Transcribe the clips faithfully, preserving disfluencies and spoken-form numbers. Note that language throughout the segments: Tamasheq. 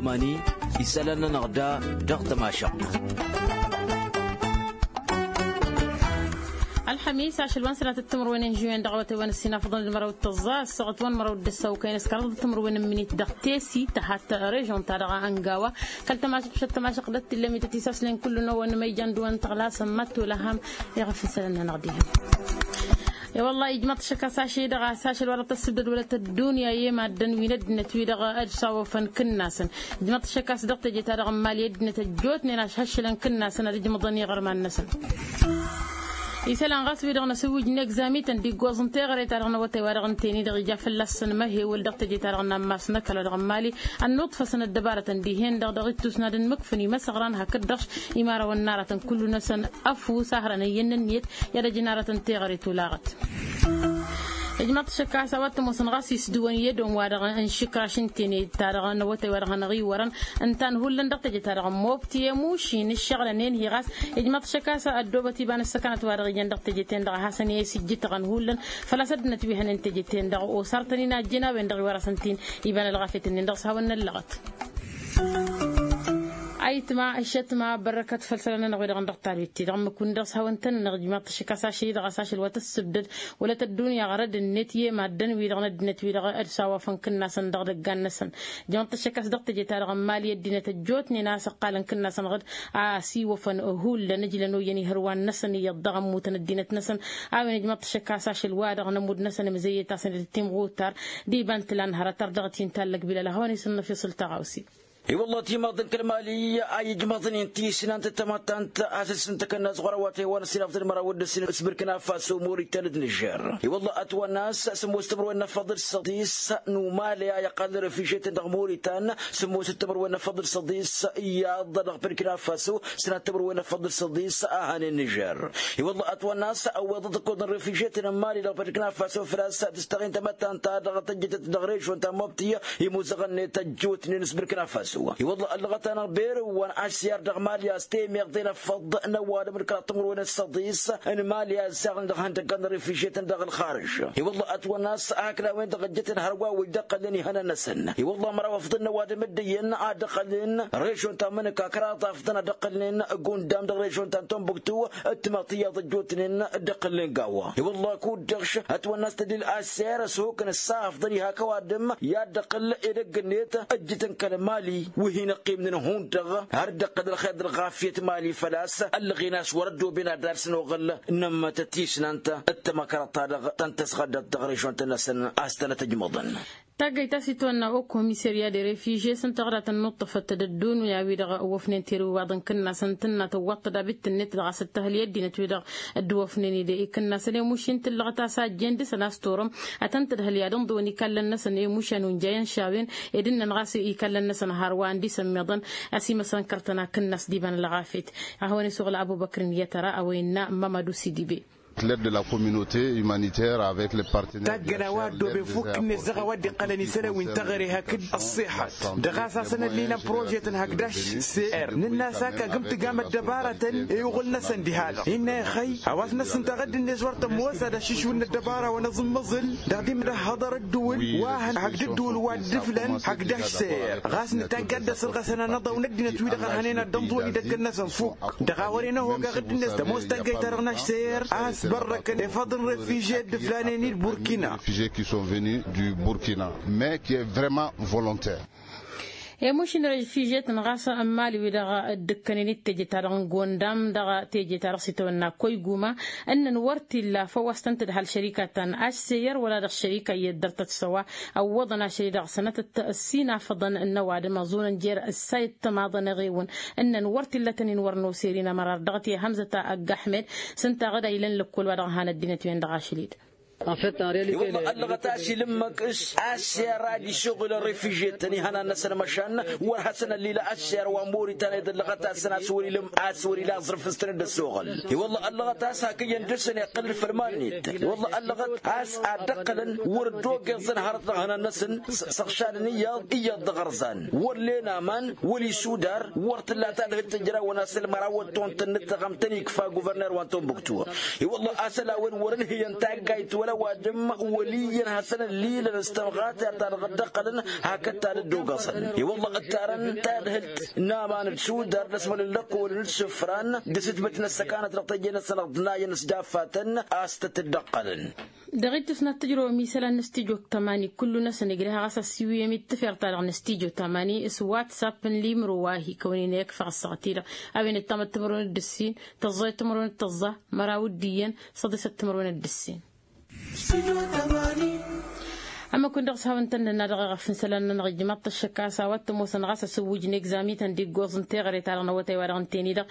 Mani isălan-nănăɣ da dăɣ-tămašăɣt. Ălxămis ašăl wa n-sănatăt timǝrwen n-žuwen dăɣ-awătay wa n-ăssinafăḍăn d-măraw d-tăẓẓa ăssaɣăt wa n-măraw d-ăssawkăyăn s-kăraḍăt timǝrwen n-imǝnit dăɣ-tesi tăhat režon-ta-dăɣ ăngawa kăl-tămašăɣt šăt tămašăɣt d-ăttillămit ătisaslen kullu n-a-wa n-măyjan d-wa n-tăɣlasăn mad-tolăhăm. I-ɣăf isălan-nănăɣ dihen. I-wălla ijmăḍ-t ašăk a-s ašăl-i-dăɣ a-s ašăl wa dăɣ-tăssǝbdăd wăla tăddunya i-maddăn wi n-ăddinăt-wi-dăɣ d-sawăfăn kǝnnasăn. Ijmăḍ-t ašăk a-s dăɣ-teje-ta-dăɣ n-imali ăddinăt ăjjootnen a-s haššălăn kǝnnasăn ad-ǝjmăḍăn iɣărman-năsăn. Isălan ɣas wi-dăɣ n-asǝwwǝj n-egzami-tăn d-iggoẓ n-teɣăre-ta-dăɣ n-awătay wa dăɣ-ǝnta-en-i-dăɣ ija fălla-săn măhewăl dăɣ-teje-ta-dăɣ n-ammas n-ăkall wa dăɣ-n imali. Ănnuḍfăsăn ăddăbarătăn dihen-dăɣ dăɣ-ittus n-ad-ǝnmǝkfǝn imăsăɣran hakd-dăɣ imărawăn n-aratăn kullu-năsăn ăfuss a hărăn iyyăn n-ǝnniyăt i-ad-ăjǝn aratăn teɣăre tulaɣăt. Ijmăḍ-t ašăk a-s a-wa t-ămoosăn ɣas isdǝwăn i-edon wa-dăɣ n-išǝkraš n-tene-ta-dăɣ n-awătay wa dăɣ-hanăɣ-iwărăn ǝnta n-hullan dăɣ-teje-ta-dăɣ n-mobti i-mušin ǝššăɣlăn enhi ɣas. Ijmăḍ-t ašăk a-s ăddoobăt iba n-ăssăkănăt wa dăɣ-ijăn dăɣ-teje-ten-dăɣ a hasăn-e-s ijjǝtăɣăn hullan făl-a-s ăddinăt wi hănen teje-ten-dăɣ osartăn-in a ăjjǝn a-wen-dăɣ iwărasăn-t-in. Iba n-ălɣafyăt-nin-dăɣ s-hawăn-năllăɣăt. Ayǝtma ǝššătma bărrăkăt făll-isălan-nănăɣ wi-dăɣ n-dăɣ-talwit-ti-dăɣ ǝmmǝk-win-dăɣ s-hawăn-tăn-nănăɣ ijmaḍ-t ašăk a-s ašăl-i-dăɣ a-s ašăl wa tăssǝbdăd wăla tăddunya ɣărăd-net i-e-maddăn-wi-dăɣ n-ăddinăt-wi-dăɣ d-sawafăn kǝnnasăn dăɣ-idăggan-năsăn. Ijmaḍ-t ašăk a-s dăɣ-teje-ta-dăɣ n-imali ăddinăt ăjjootnen a-s ǝqqalăn kǝnnasăn ɣǝd a-s iwăfăn hullan ǝjlăn oyyăn ihărwan-năsăn iyyăḍ dăɣ-ămmutăn ăddinăt-năsăn. A-wen ijmaḍ-t ašăk a-s ašăl wa dăɣ-nămudd-năsăn imǝzăyyăt-asăn d-timɣutar d-iba n-tǝla n-hărăt ar dăɣ-t-intallăg bilal a hawăn-isǝnnăf isǝl taɣawse. I-wălla timaḍ n-kăl-mali a ijmăḍnen tisnant d-tamăttant a-s dd-sǝntăkăn n-aẓɣur awătay wa n-ăsinafḍăn măraw d-ǝssin s-bărkǝn afaso moritan d-nižer. I-wălla ătwănna a-s sǝmmos timǝrwen n-afăḍ d-săḍis n-umale a iqqal n-refiziyetăn dăɣ-moritan sǝmmos timǝrwen n-afăḍ d-săḍis iyyăḍ dăɣ-bărkǝn afaso. Sănat timǝrwen n-afăḍ d-săḍis a hanen nižer. I-wălla ătwănna a-s ăwweḍăt ǝkkoḍ n-refiziyetăn n-mali dăɣ-bărkǝn afaso făl-a-s tǝstăɣen tamăttant-ta-dăɣ tăjjătăt dăɣ-režon ta n-mobti imuzăɣăn-net ăjjootnen s-bărkǝn afaso. I-wălla ăllăɣăt-anăɣ berǝwăn ašyar dăɣ-mali a-s temeɣ d-enăfăḍ n-ăwadǝm d-kăraḍ timǝrwen n-săḍis n-mali a ǝzzaɣăn dăɣ-ihăndăggan n-refiziyetăn dăɣ-ălxarǝž. I-wălla ătwănna a-s hakd a-wen-dăɣ ăjjăten hărwa wa ija iqqălnen ihănan-năsăn. I-wălla măraw afḍăn n-ăwadǝm dd-iyyăn ad-dd-ăqqălnen režon ta n-mănǝka kăraḍ afḍăn ad-ăqqălnen gundam dăɣ-režon ta n-tombuktu d-timaḍ tiyyăḍ ăjjootnen dd-ăqqălnen gawa. I-wălla kud-dăɣ š-ătwănna a-s tădil aser ăshukăn ǝssa afḍăn iha kăwadǝm i-ad-dd-ăqqǝl edăgg-net ăjjǝtăn kăl-mali wi hin-ăqqimnen hundăɣ har dd-ăqqǝl ălxer d-ălɣafyăt mali făl-a-s ăllăɣen a-s wăr-ăddooben ad-dd-alsăn oɣǝl n-ămmătăt tisnant d-tamăkrăḍt-ta-dăɣ tăn-tăsɣădăt dăɣ-režon-tăn-năsăn a-s tănăt-ăjmăḍăn. Taggăyt ta s-itwănna o komisarya de refizye s-ǝnta ɣǝra tănnuṭṭăfăt d-ăddunya-wi-dăɣ ăwwăfnen teriwaḍ n-kǝnnasăn tǝnna tăwwaḍ-t d-abit-net dăɣ-a-s ǝttăhǝl i-ăddinăt-wi-dăɣ dd-wăfnen-dd i-kǝnnasăn i-mušin tǝllăɣăt a-s a ăjjeen dăɣ-săn a-s torăm ad-tăn-tǝdhǝl i-ad-ǝnḍǝwăn ikallăn-năsăn i-mušan unjayăn šawen ed ǝnnăn ɣas ikallăn-năsăn har wa n-disăn meḍăn. A-s imăsăn kărtăn akǝnnas d-iba n-ălɣafyăt a hawăn-isuɣǝl abubăkrăn i-tăra a-wa innă mamadu sidibe. L'aide de la communauté humanitaire avec les partenaires. Taggăn a-wa ăddooben fukk-net dăɣ-a-wa dd-iqqălăn isălan wi n-teɣăre hakd ăṣṣiḥăt dăɣ-a-s hasăn-ăllinăn prožetăn hakd ašser nǝnn'-as ak agǝm tǝgam ăddăbarătăn i-uɣǝl-năsăn diha-dăɣ innă ixăy a-wa s-năssǝntaɣ ăddinăt wăr tămoos ad-ašǝšwǝl n-ăddăbara wa n-aẓǝmmăẓǝl dăɣ-dimǝdăhhăḍăr ădduul wa hăn hakd ădduul wa dd-ǝflăn hakd ašser ɣas nǝtagg ad-dd-ăsărɣăsăn anăḍaw n-ăddinăt-wi-dăɣ ărhănen ad-dd-ănḍǝwăn idăgg-năsăn fukk. Dăɣ-a wăren ăhogăɣ dd-net tămoos taggayt-ta-dăɣ n-ašser a ăsbărrăkăn efăḍ n-refizye dd-ǝflanen-i d-burkina. Refizye qui sont venus du burkina mais qui est vraiment volontaire. Emuš n-refizye-tăn ɣas n-imali-wi-dăɣ dd-ǝkkănen d-teje-ta-dăɣ n-gondam dăɣ-teje-ta-dăɣ s-itawănna koyguma ǝnnăn wăr t-illa făw a-s tăn-tǝdhăl šărika ta n-ašser wăla dăɣ-šărika iyyăt dăr-tăt s-a-wa ăwwăḍăn ašăl-i-dăɣ sănătăt ăssinafăḍăn n-ăwadǝm ăẓunăn jer-ǝssayăt tămaḍăn eɣewăn ǝnnăn wăr t-illa tăn-in-wăr nosăr-in ămărar dăɣ-t i-hămzăt aggăhmed s-ǝnta ɣǝd a ilăn lăkkol wa dăɣ-han ăddinăt-wen-dăɣ ašăl-i-dăɣ. I-wălla ăllăɣăt a-s ilǝmmăk s-ašser ad-išuɣǝl refizye-tăn ihănan-năsăn măšan wăr hasăn-ăllilă ašser wa n-moritan ed ăllăɣăt a-s săn a-s wăr-ila aẓrǝf s-tăn-dd-ăsoɣăl. I-wălla ăllăɣăt a-s hak iyyăn dăr-săn iqqǝl d-făll-iman-net. I-wălla ăllăɣăt a-s ad-dd-ăqqălăn wăr dd-ogeẓăn hărăt dăɣ-ihănan-năsăn s-ăɣšadăn iyyăḍ iyyăḍ dăɣ-ărẓan wăr len aman wăr-isudar wăr t-tǝlla tadhǝjt tǝjrawăn a-s ălmăraw d-tont n-ǝttăɣăm tăn-ikfa guvărner wa n-tombuktu. I-wălla a-s ăla a-wen wăr-ǝnhǝyăn taggayt wăla Ăwadǝm wăl' iyyăn hasăn-ăllilăn s-tămɣatert-ta-dăɣ dd-ăqqălăn hakd ta dd-ogăẓăn. I-wălla ǝttarăn tadhǝlt n-aman d-sudar d-ăsmălăn lăkkolăn d-isǝfran d-asǝtbǝt n-ăssăkanăt dăɣ-teje-năsăn ăḍnayăn s-daffatăn a-s tăt-dd-ăqqălăn. Dăɣ-ittus n-ad-tǝjrăwăm isălan n-studyo tămani kullu-năsăn ijreha ɣas ăssiwǝyăm i-dd-tǝfert-ta-dăɣ n-studyo tămani s-whatsapp n-limro wa hi-kăwăn-in-ikfăɣ ăssaɣăt-i-dăɣ a-wen d-tamăttămărwen d-ǝssin tăẓẓayăt timărwen d-tăẓẓa măraw d-iyyăn săḍisăt timărwen d-ǝssin. Ămmăkun dăɣ-s hawăn-tăn-nǝnna dăɣ-eɣăf n-isălan-nănăɣ ijmaḍ-t ăššăk a-s a-wa t-ămoosăn ɣas asǝwwǝj n-egzami-tăn d-iggoẓ n-teɣăre-ta-dăɣ n-awătay-wa-dăɣ ǝnta-en-i-dăɣ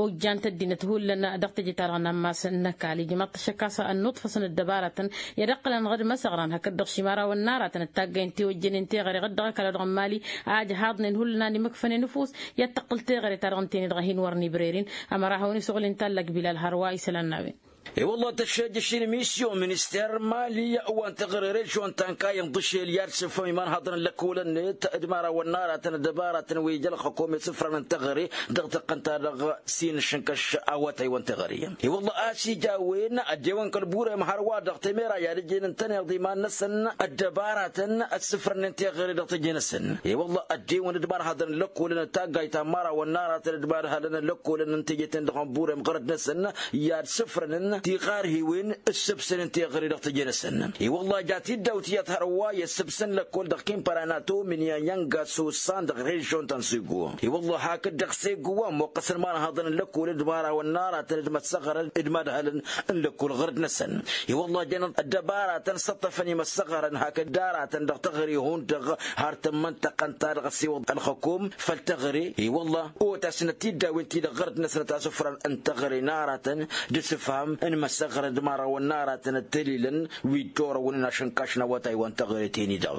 ojjan-t ăddinăt hullan dăɣ-teje-ta-dăɣ n-ammas n-ăkall ijmaḍ-t ăššăk a-s ănnuṭfăsăn ăddăbaratăn i-ad-ǝqqǝlăn ɣǝd măsăɣran hakd-dăɣ šimara wănnarătăn ăttaggăyăn tiwăjjănen teɣăre ɣǝd dăɣ-ăkall-wa-dăɣ n-imali a ăjhaḍnen hullan ad-imǝkfănen ăfuss i-ad-tǝqqǝl teɣăre-ta-dăɣ ǝnta-en-i-dăɣ a hin-wăr n-ibrăr-in. Ămăra hawăn-isuɣǝl inta ăllăkbilal hărwa isălan n-a-wen. I-wălla tăššejăš inmisiyon minister n-imali wa n-teɣăre režyon ta n-kayăn ḍǝšel i-ad-sǝfhăm imanhaḍăn n-lăkkolăn-net d-imărawăn n-aratăn ăddăbaratăn wi ija ălxăkom i-asǝfran n-teɣăre dăɣ-tăqqăn-ta-dăɣ s-inǝššǝnkăš awătay wa n-teɣăre. I-wălla a-s ija a-wen ăddewăn kăl-burem hărwa dăɣ-temera i-ad-ǝjnen ǝntăneḍ iman-năsăn ăddăbaratăn ăssǝfrănnen teɣăre dăɣ-teje-năsăn. I-wălla ăddewăn d-imanhaḍăn n-lăkkolăn d-taggayt ta n-imărawăn n-aratăn d-imadhalăn n-lăkkolăn n-teje-ten-dăɣ n-burem ɣărăt-năsăn i-ad-sǝfrănăn tiɣarhiwen ǝssǝbsănen teɣăre dăɣ-teje-năsăn. I-wălla ja tiddawt iyyăḍ hărwa i-ăssǝbsăn lăkkol dăɣ-kimparanato mǝnyayyăn gasosan dăɣ-režyon ta n-sego. I-wălla hakd dăɣ-sego wa ămmoqqăsăn imanhaḍăn n-lăkkol d-imărawăn n-aratăn d-măssăɣărăn d-imadhalăn n-lăkkol ɣărăt-năsăn. I-wălla jănăḍ ăddăbaratăn săṭṭăfăn imăssăɣărăn hakd aratăn dăɣ-teɣăre hundăɣ har tămmăntăqăn-ta-dăɣ ăssiwăḍ ălxăkom făll-teɣăre. I-wălla otasnăt tiddawen-ti-dăɣ ɣărăt-năsnăt asǝfran n-teɣăre n-aratăn d-asǝfham n-imăssăɣărăn d-imărawăn n-aratăn ăttălilăn wi dd-orăwăn inašǝnkaš n-awătay wa n-teɣăre teni-dăɣ.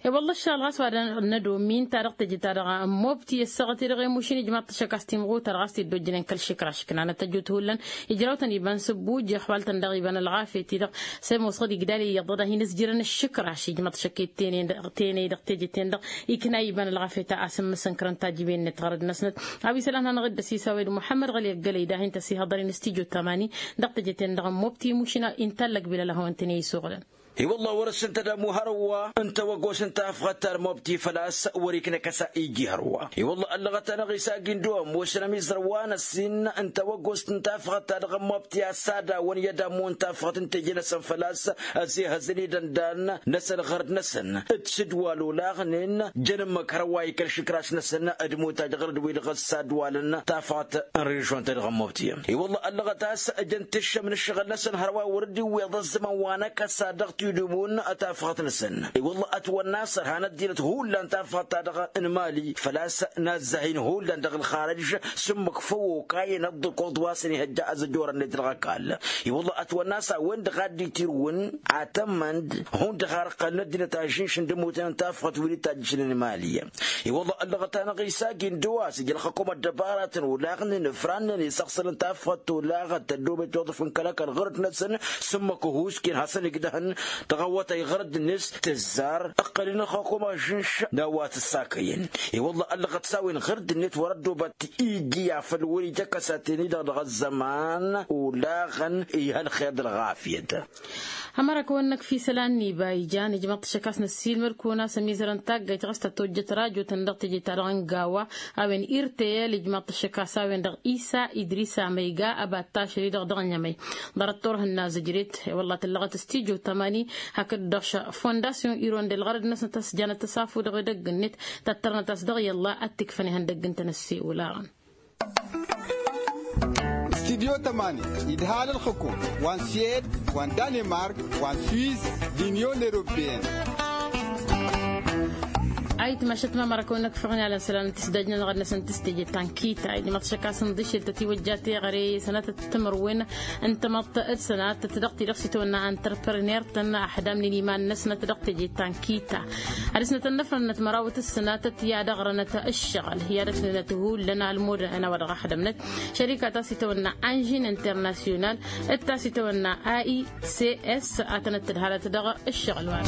I-wălla ăššăɣǝl ɣas wa dăɣ-nădomin ta dăɣ-teje-ta-dăɣ n-mobti ăssaɣăt-i-dăɣ i-mušin ijmaḍ-t ăššăk a-s timɣutăr ɣas t-dd-ojjănen kăl-išǝkraš ǝknanăt ăjut hullan ijrawtăn iba n-sǝbbuj ixwal-tăn daɣ iba n-ălɣafyăt-i-dăɣ s-e-mosɣăd igdal iyyăḍ ad-hin-ǝzjǝrăn ǝššǝkraš ijmaḍ-t ăššăk i-tenăy dăɣ-tejăten-dăɣ ikna iba n-ălɣafyăt a-s ǝmmǝsănkărăn tajǝben-net ɣărăd-năsnăt. A-wa isălan hanăɣ-dd-ăsisawed muḥămmăd ɣăli ăggălăy dahin tăsihăḍăr-in s-tijo tamani dăɣ-tejăten-dăɣ n-mobti imušin inta ăllăkbilal a hawăn-tăn-e-isuɣǝlăn. I-wălla wăr-ǝssǝntăd ămuhărwa n-tawăggost n-tafɣăt ta d-mobti făl-a-s wăr-iknăkăs a iji hărwa. I-wălla ăllăɣăt-anăɣ isagindu ămoosăn ămizărwa n-ăssin n-tawăggost n-tafɣăt ta dăɣ-mobti a-s ad-awăn i-ad-ămmun tafɣăt n-teje-năsăn făl-a-s ăzehăzăn idăndan-năsăn ɣărăd-năsăn d-sǝdwal olaɣnen jăn ǝmmǝk hărwa ikăl išǝkraš-năsăn d-imutaj ɣărăd-wi-dăɣ ăssadwalăn tafɣăt n-režyon-ta-dăɣ n-mobti. I-wălla ăllăɣăt a-s ǝjăn tǝššăm n-ǝššăɣǝl-năsăn hărwa wăr dd-iwweḍ ăzzăman wa năkăsa dăɣ-tidǝmun tafɣăt-năsăn. I-wălla ătwănna a-s ărhan ăddinăt hullan tafɣăt-ta-dăɣ n-imali făl-a-s nazzăh-in hullan dăɣ-ǝlxarăj s-ǝmmǝk făw okayăn ăḍḍǝkoḍ wa s-ănihăjja azăjor-net dăɣ-ăkall. I-wălla ătwănna a-s a-wen-dăɣ a dd-itirǝwăn atămănd hundăɣ har ǝqqălăn ăddinăt ažǝnš n-dămuten n-tafɣăt wi dd-tajjǝšnen imali. I-wălla ăllăɣăt-anăɣ isagi n-dăwas ija ălxăkom ăddăbaratăn olaɣnen ǝfrannen isăɣsălăn tafɣăt tolaɣăt tăddoobet toḍǝf n-kăl-ăkall ɣărăt-năsăn s-ǝmmǝk ăhuusken hasăn-igdăhăn dăɣ-awătay ɣărăd-net tǝzzar ǝqqălăn ălxăkom ažǝnš n-a-wa t-ǝssakăyăn. I-wălla ăllăɣăt s-a-wen ɣărăd-net wăr-ăddoobăt iji afăl wăr-ija ăkăsaten-i-dăɣ dăɣ-ăzzăman olaɣăn. Ih' ălxer d-ălɣafyăt. Ămăra kăwăn-năkf isălan n-iba ijan ijmăḍ-t ăššăk a-s năssiilmăd-kăwăn a-s ămizărăn taggayt ɣas tăt-ojjăt rajotăn dăɣ-teje-ta-dăɣ n-gawa a-wen irteyel ijmăḍ-t ăššăk a-s a-wen-dăɣ isa idrisa măyga ăbattašăl-i-dăɣ dăɣ-nămăy ḍarăt turhǝnna zǝjret. I-wălla tǝllăɣăt s-tijo tămani hakd-dăɣ fondasyon irondel ɣărăd-năsnăt a-s janăt asafu dăɣ-edăgg-net tăttărnăt a-s dăɣ-i ălla ad-t-ikfăn ihăndăgg ǝntănăsse olaɣăn. Studyo tămani idhal ǝlxǝkum wa n-suwed wa n-danemark wa n-swiz d-inyon eropeyăn. Ayǝtmašăt ma măra kăwăn-năkfăɣ n-alăn isălan n-tisdaj-nănăɣ ad-năsăn tǝstejăt ta n-kita ijmăḍ-t šăkkas n-dăšel tătiwăjja teɣăre sănatăt timărwen n-tamăḍt d-sănatăt dăɣ-ti-dăɣ s-itawănna antrăprăner-tăn ăḥdamnen iman-năsnăt dăɣ-teje ta n-kita. Ad-dăr-snăt ănnăfrănnăt mărawăt s-sănatăt i-ad-ăɣrănăt ǝššăɣǝl i-ad-ăsnănăt hullan almud n-a-wa dăɣ-ăxdămnăt šărika ta s-itawănna anžin internasyonal d-ta s-itawănna a i c s a tănăt-tǝdhalăt dăɣ-ǝššăɣǝl wa.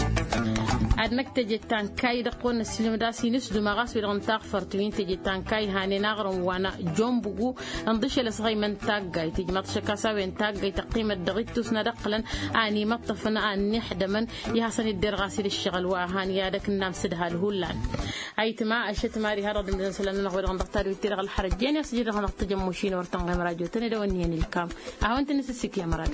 Ad-năkk teje ta n-kayy dăɣ-kăwăn-năssin. Imdasin s-duma ɣas wi-dăɣ n-taɣfărt wi n-teje ta n-kayhanen aɣrǝm wa n-jonbǝgu. Ǝnḍǝšel ăsɣăymăn taggayt ijmaḍ šăkkas a-wen taggayt ăqqimăt dăɣ-ittus n-ad-ǝqqǝlăn a ănimăṭṭăfăn a ănniḥdămăn. I-hasăn-dd-derɣas-dd ǝššăɣǝl wa han i-ad-ăknam s-ǝdhal hullan. Ayǝtma ăššăt mari har dăɣ-dămdăn isălan-nănăɣ wi-dăɣ n-dăɣ tadwit-ti-dăɣ ălxărăt jen i-asǝjǝd dăɣ-năɣ tăjămmušin wăr tănɣem rajotăn edăw ǝnniyăn ilkam. A hawăn-tăn-nǝsǝssik i-amărad.